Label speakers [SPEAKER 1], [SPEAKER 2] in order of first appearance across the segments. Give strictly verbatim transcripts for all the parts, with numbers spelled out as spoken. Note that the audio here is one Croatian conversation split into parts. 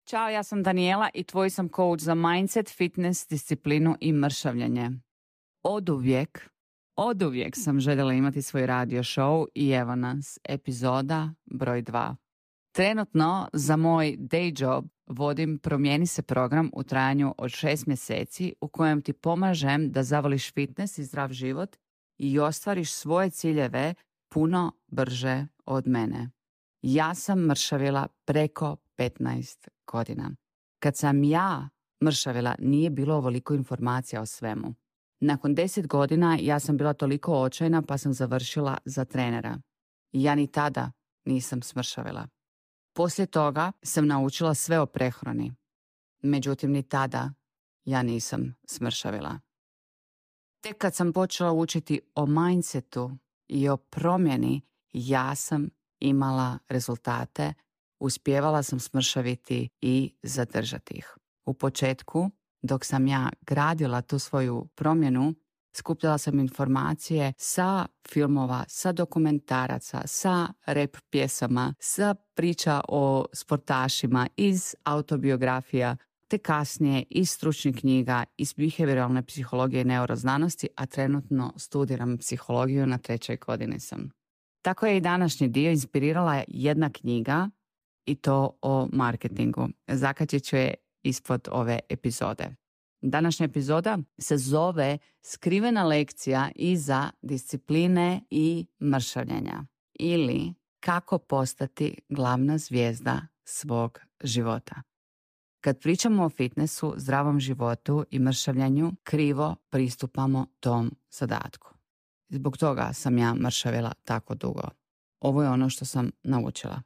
[SPEAKER 1] Ćao, ja sam Daniela i tvoj sam coach za mindset, fitness, disciplinu i mršavljenje. Oduvijek, oduvijek sam željela imati svoj radio show i evo nas, epizoda broj dva. Trenutno za moj day job vodim Promijeni se program u trajanju od šest mjeseci u kojem ti pomažem da zavoliš fitness i zdrav život i ostvariš svoje ciljeve puno brže od mene. Ja sam mršavila preko petnaest godina. Kad sam ja mršavila, nije bilo ovoliko informacija o svemu. Nakon deset godina ja sam bila toliko očajna pa sam završila za trenera. Ja ni tada nisam smršavila. Poslije toga sam naučila sve o prehrani. Međutim, ni tada ja nisam smršavila. Tek kad sam počela učiti o mindsetu i o promjeni, ja sam imala rezultate, uspijevala sam smršaviti i zadržati ih. U početku, dok sam ja gradila tu svoju promjenu, skupljala sam informacije sa filmova, sa dokumentaraca, sa rap pjesama, sa priča o sportašima, iz autobiografija, te kasnije iz stručnih knjiga, iz behavioralne psihologije i neuroznanosti, a trenutno studiram psihologiju, na trećoj godini sam. Tako je i današnji dio inspirirala jedna knjiga i to o marketingu. Zakačit ću je ispod ove epizode. Današnja epizoda se zove Skrivena lekcija iza discipline i mršavljenja ili kako postati glavna zvijezda svog života. Kad pričamo o fitnessu, zdravom životu i mršavljenju, krivo pristupamo tom zadatku. Zbog toga sam ja mršavila tako dugo. Ovo je ono što sam naučila.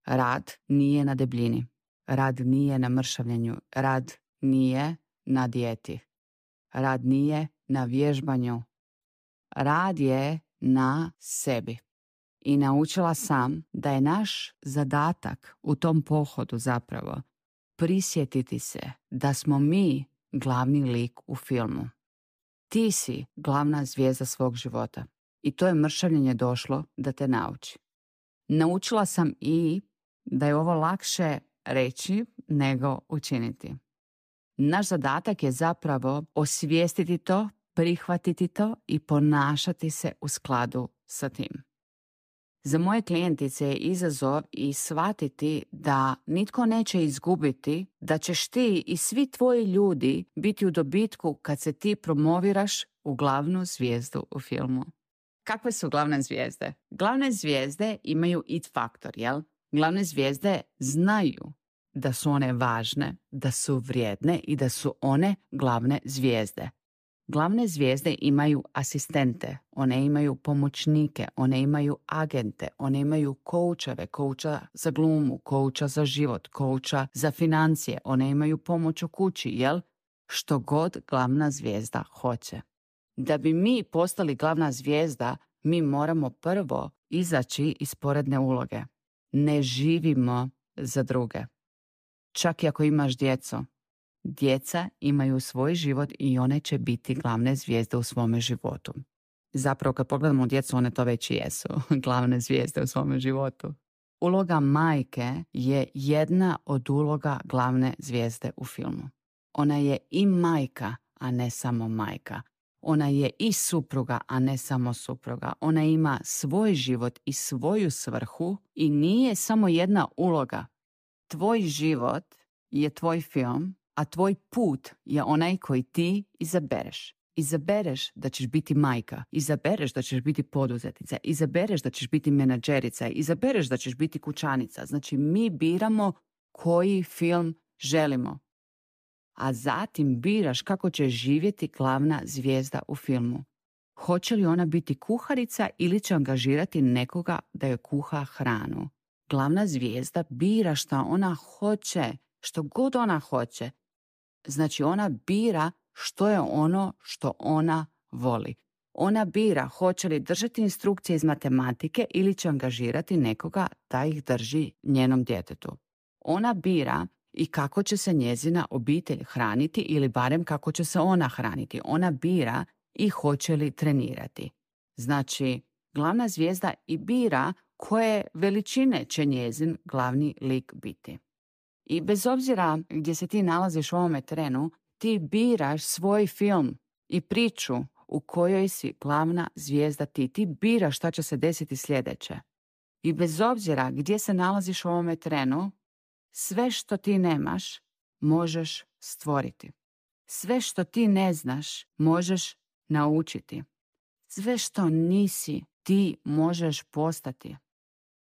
[SPEAKER 1] Rad nije na debljini. Rad nije na mršavljenju. Rad nije na dijeti. Rad nije na vježbanju. Rad je na sebi. I naučila sam da je naš zadatak u tom pohodu zapravo prisjetiti se da smo mi glavni lik u filmu. Ti si glavna zvijezda svog života i to je mršavljenje došlo da te nauči. Naučila sam i da je ovo lakše reći nego učiniti. Naš zadatak je zapravo osvijestiti to, prihvatiti to i ponašati se u skladu sa tim. Za moje klijentice je izazov i shvatiti da nitko neće izgubiti, da ćeš ti i svi tvoji ljudi biti u dobitku kad se ti promoviraš u glavnu zvijezdu u filmu. Kakve su glavne zvijezde? Glavne zvijezde imaju it faktor, jel? Glavne zvijezde znaju da su one važne, da su vrijedne i da su one glavne zvijezde. Glavne zvijezde imaju asistente, one imaju pomoćnike, one imaju agente, one imaju koučeve, kouča za glumu, kouča za život, kouča za financije, one imaju pomoć u kući, jel? Što god glavna zvijezda hoće. Da bi mi postali glavna zvijezda, mi moramo prvo izaći iz sporedne uloge. Ne živimo za druge. Čak i ako imaš djecu, djeca imaju svoj život i one će biti glavne zvijezde u svome životu. Zapravo kad pogledamo djecu, one to već i jesu, glavne zvijezde u svome životu. Uloga majke je jedna od uloga glavne zvijezde u filmu. Ona je i majka, a ne samo majka. Ona je i supruga, a ne samo supruga. Ona ima svoj život i svoju svrhu i nije samo jedna uloga. Tvoj život je tvoj film, a tvoj put je onaj koji ti izabereš. Izabereš da ćeš biti majka, izabereš da ćeš biti poduzetnica, izabereš da ćeš biti menadžerica, izabereš da ćeš biti kućanica. Znači mi biramo koji film želimo. A zatim biraš kako će živjeti glavna zvijezda u filmu. Hoće li ona biti kuharica ili će angažirati nekoga da joj kuha hranu? Glavna zvijezda bira šta ona hoće, što god ona hoće. Znači ona bira što je ono što ona voli. Ona bira hoće li držati instrukcije iz matematike ili će angažirati nekoga da ih drži njenom djetetu. Ona bira i kako će se njezina obitelj hraniti ili barem kako će se ona hraniti. Ona bira i hoće li trenirati. Znači, glavna zvijezda i bira koje veličine će njezin glavni lik biti. I bez obzira gdje se ti nalaziš u ovome trenu, ti biraš svoj film i priču u kojoj si glavna zvijezda ti. Ti biraš šta će se desiti sljedeće. I bez obzira gdje se nalaziš u ovome trenu, sve što ti nemaš možeš stvoriti. Sve što ti ne znaš možeš naučiti. Sve što nisi ti možeš postati.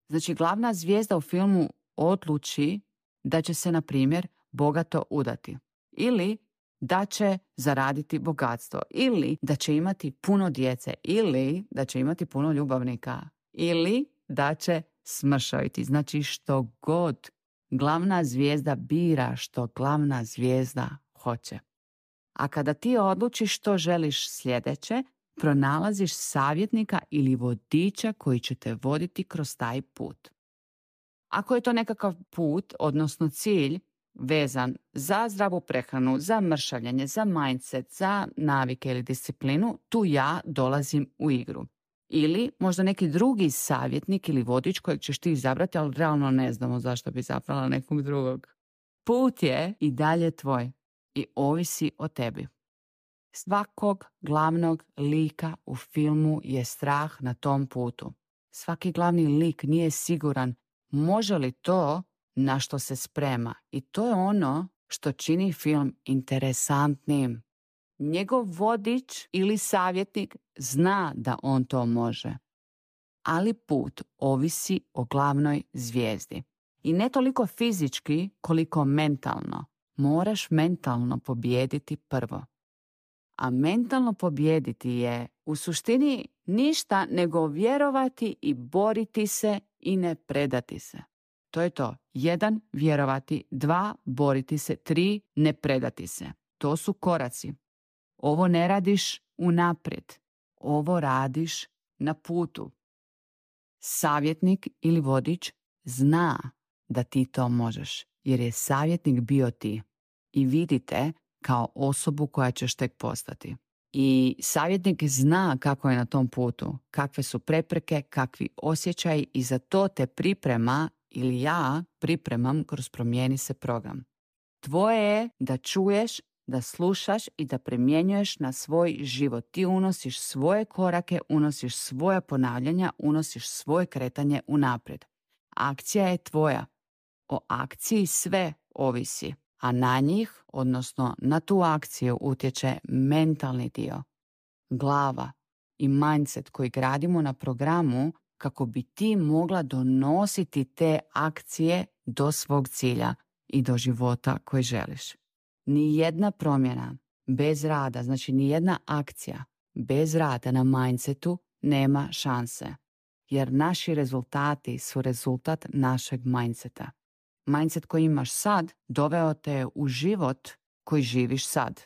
[SPEAKER 1] Znači, glavna zvijezda u filmu odluči da će se, na primjer, bogato udati. Ili da će zaraditi bogatstvo. Ili da će imati puno djece. Ili da će imati puno ljubavnika. Ili da će smršaviti. Znači, što god glavna zvijezda bira, što glavna zvijezda hoće. A kada ti odlučiš što želiš sljedeće, pronalaziš savjetnika ili vodiča koji će te voditi kroz taj put. Ako je to nekakav put, odnosno cilj, vezan za zdravu prehranu, za mršavljanje, za mindset, za navike ili disciplinu, tu ja dolazim u igru. Ili možda neki drugi savjetnik ili vodič kojeg ćeš ti izabrati, ali realno ne znamo zašto bi izabrala nekog drugog. Put je i dalje tvoj i ovisi o tebi. Svakog glavnog lika u filmu je strah na tom putu. Svaki glavni lik nije siguran može li to na što se sprema. I to je ono što čini film interesantnim. Njegov vodič ili savjetnik zna da on to može. Ali put ovisi o glavnoj zvijezdi. I ne toliko fizički koliko mentalno. Moraš mentalno pobijediti prvo. A mentalno pobijediti je u suštini ništa nego vjerovati i boriti se i ne predati se. To je to. Jedan, vjerovati. Dva, boriti se. Tri, ne predati se. To su koraci. Ovo ne radiš unaprijed. Ovo radiš na putu. Savjetnik ili vodič zna da ti to možeš, jer je savjetnik bio ti i vidite kao osobu koja ćeš tek postati. I savjetnik zna kako je na tom putu, kakve su prepreke, kakvi osjećaji i za to te priprema ili ja pripremam kroz Promijeni se program. Tvoje je da čuješ, da slušaš i da primjenjuješ na svoj život. Ti unosiš svoje korake, unosiš svoje ponavljanja, unosiš svoje kretanje unaprijed. Akcija je tvoja. O akciji sve ovisi, a na njih, odnosno na tu akciju, utječe mentalni dio, glava i mindset koji gradimo na programu kako bi ti mogla donositi te akcije do svog cilja i do života koji želiš. Nijedna promjena bez rada, znači nijedna akcija bez rada na mindsetu nema šanse. Jer naši rezultati su rezultat našeg mindseta. Mindset koji imaš sad doveo te u život koji živiš sad.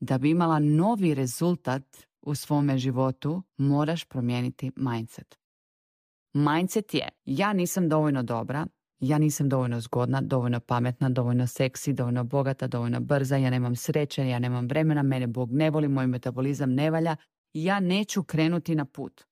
[SPEAKER 1] Da bi imala novi rezultat u svome životu, moraš promijeniti mindset. Mindset je: ja nisam dovoljno dobra, ja nisam dovoljno zgodna, dovoljno pametna, dovoljno seksi, dovoljno bogata, dovoljno brza, ja nemam sreće, ja nemam vremena, mene Bog ne voli, moj metabolizam ne valja, ja neću krenuti na put.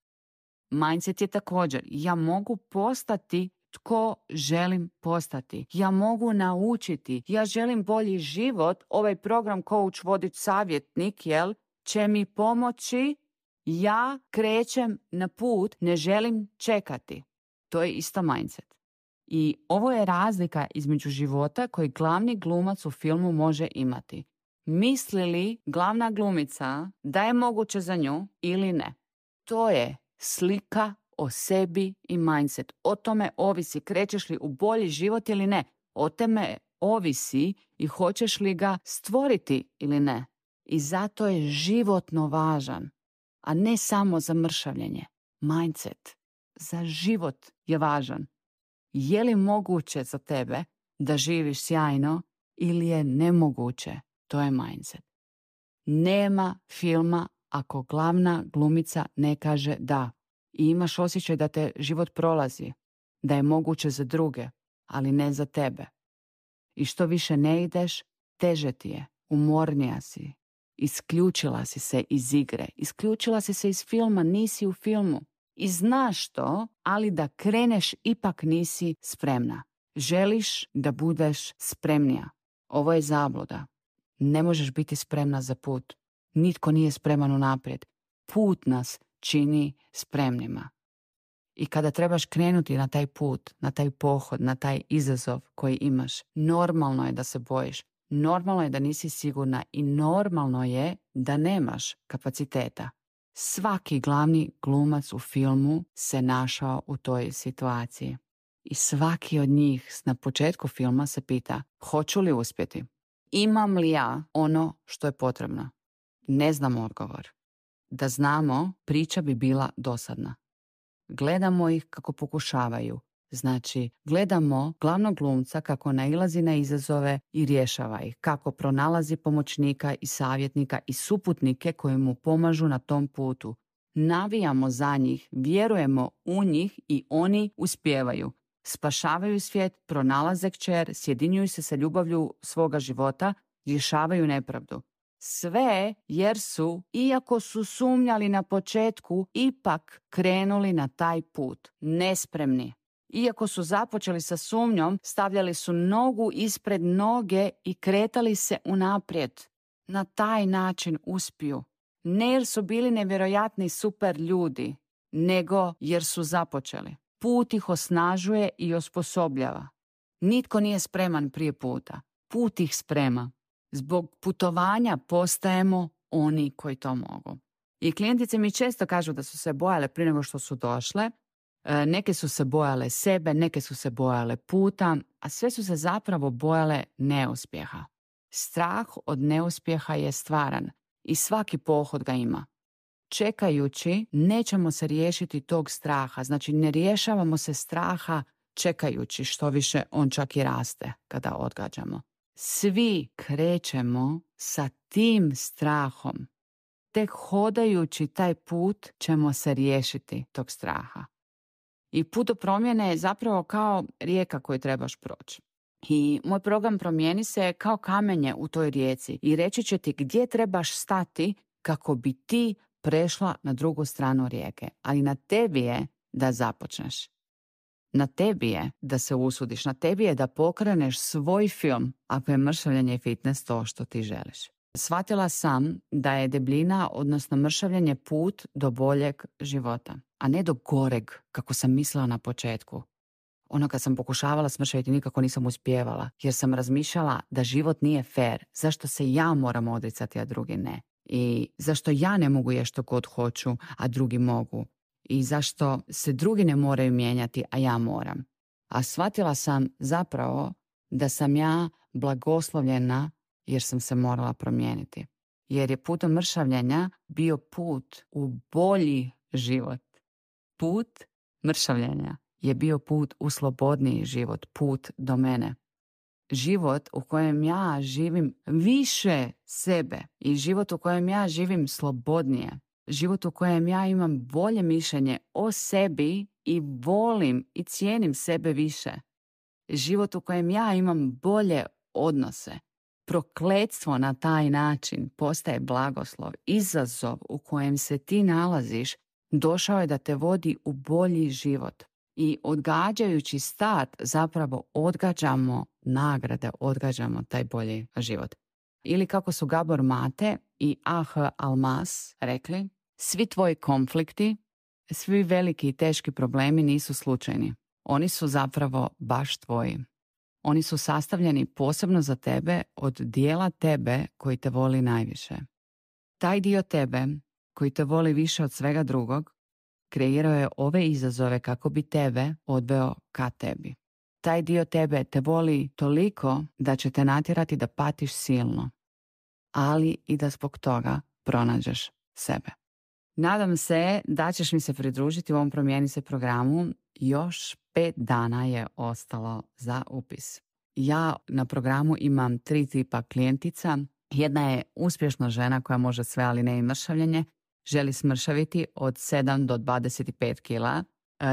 [SPEAKER 1] Mindset je također: ja mogu postati tko želim postati. Ja mogu naučiti. Ja želim bolji život. Ovaj program Coach, Vodič, Savjetnik, jel, će mi pomoći. Ja krećem na put, ne želim čekati. To je isto mindset. I ovo je razlika između života koji glavni glumac u filmu može imati. Misli li glavna glumica da je moguće za nju ili ne? To je slika o sebi i mindset. O tome ovisi krećeš li u bolji život ili ne. O tome ovisi i hoćeš li ga stvoriti ili ne. I zato je životno važan, a ne samo za mršavljenje. Mindset za život je važan. Je li moguće za tebe da živiš sjajno ili je nemoguće? To je mindset. Nema filma ako glavna glumica ne kaže da. I imaš osjećaj da te život prolazi, da je moguće za druge, ali ne za tebe. I što više ne ideš, teže ti je, umornija si. Isključila si se iz igre, isključila si se iz filma, nisi u filmu. I znaš to, ali da kreneš ipak nisi spremna. Želiš da budeš spremnija. Ovo je zabluda. Ne možeš biti spremna za put. Nitko nije spreman unaprijed. Put nas čini spremnima. I kada trebaš krenuti na taj put, na taj pohod, na taj izazov koji imaš, normalno je da se bojiš. Normalno je da nisi sigurna i normalno je da nemaš kapaciteta. Svaki glavni glumac u filmu se našao u toj situaciji. I svaki od njih na početku filma se pita, hoću li uspjeti? Imam li ja ono što je potrebno? Ne znam odgovor. Da znamo, priča bi bila dosadna. Gledamo ih kako pokušavaju. Znači, gledamo glavnog glumca kako nailazi na izazove i rješava ih, kako pronalazi pomoćnika i savjetnika i suputnike koji mu pomažu na tom putu. Navijamo za njih, vjerujemo u njih i oni uspijevaju. Spašavaju svijet, pronalaze kćer, sjedinjuju se sa ljubavlju svoga života, rješavaju nepravdu. Sve jer su, iako su sumnjali na početku, ipak krenuli na taj put, nespremni. Iako su započeli sa sumnjom, stavljali su nogu ispred noge i kretali se unaprijed. Na taj način uspiju. Ne jer su bili nevjerojatni super ljudi, nego jer su započeli. Put ih osnažuje i osposobljava. Nitko nije spreman prije puta. Put ih sprema. Zbog putovanja postajemo oni koji to mogu. I klijentice mi često kažu da su se bojale prije nego što su došle. Neke su se bojale sebe, neke su se bojale puta, a sve su se zapravo bojale neuspjeha. Strah od neuspjeha je stvaran i svaki pohod ga ima. Čekajući, nećemo se riješiti tog straha. Znači, ne rješavamo se straha čekajući, što više on čak i raste kada odgađamo. Svi krećemo sa tim strahom. Tek hodajući taj put ćemo se riješiti tog straha. I put do promjene je zapravo kao rijeka koju trebaš proći. I moj program Promijeni se kao kamenje u toj rijeci i reći će ti gdje trebaš stati kako bi ti prešla na drugu stranu rijeke. Ali na tebi je da započneš. Na tebi je da se usudiš. Na tebi je da pokreneš svoj film ako je mršavljenje i fitness to što ti želiš. Shvatila sam da je debljina, odnosno mršavljenje, put do boljeg života, a ne do goreg, kako sam mislila na početku. Ono kad sam pokušavala smršaviti nikako nisam uspjevala, jer sam razmišljala da život nije fair. Zašto se ja moram odricati, a drugi ne? I zašto ja ne mogu jesti što god hoću, a drugi mogu? I zašto se drugi ne moraju mijenjati, a ja moram? A shvatila sam zapravo da sam ja blagoslovljena jer sam se morala promijeniti. Jer je putom mršavljenja bio put u bolji život. Put mršavljenja je bio put u slobodniji život, put do mene. Život u kojem ja živim više sebe i život u kojem ja živim slobodnije. Život u kojem ja imam bolje mišljenje o sebi i volim i cijenim sebe više. Život u kojem ja imam bolje odnose. Prokletstvo na taj način postaje blagoslov. Izazov u kojem se ti nalaziš došao je da te vodi u bolji život. I odgađajući start zapravo odgađamo nagrade, odgađamo taj bolji život. Ili kako su Gabor Mate i A H Almas rekli, svi tvoji konflikti, svi veliki i teški problemi nisu slučajni. Oni su zapravo baš tvoji. Oni su sastavljeni posebno za tebe od dijela tebe koji te voli najviše. Taj dio tebe koji te voli više od svega drugog kreirao je ove izazove kako bi tebe odveo ka tebi. Taj dio tebe te voli toliko da će te natjerati da patiš silno, ali i da zbog toga pronađeš sebe. Nadam se da ćeš mi se pridružiti u ovom Promijeni se programu. Još pet dana je ostalo za upis. Ja na programu imam tri tipa klijentica. Jedna je uspješna žena koja može sve, ali ne i mršavljenje. Želi smršaviti od sedam do dvadeset pet kila.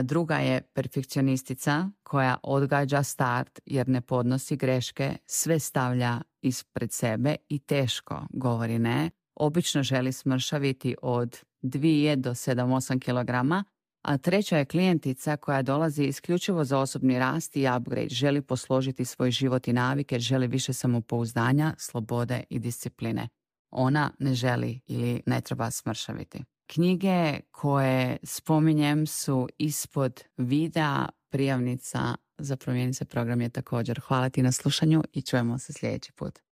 [SPEAKER 1] Druga je perfekcionistica koja odgađa start jer ne podnosi greške, sve stavlja ispred sebe i teško govori ne. Obično želi smršaviti od dvije do sedam osam kilograma, A treća je klijentica koja dolazi isključivo za osobni rast i upgrade, želi posložiti svoj život i navike, želi više samopouzdanja, slobode i discipline. Ona ne želi ili ne treba smršaviti. Knjige koje spominjem su ispod videa, prijavnica za Promijeni se program je također. Hvala ti na slušanju i čujemo se sljedeći put.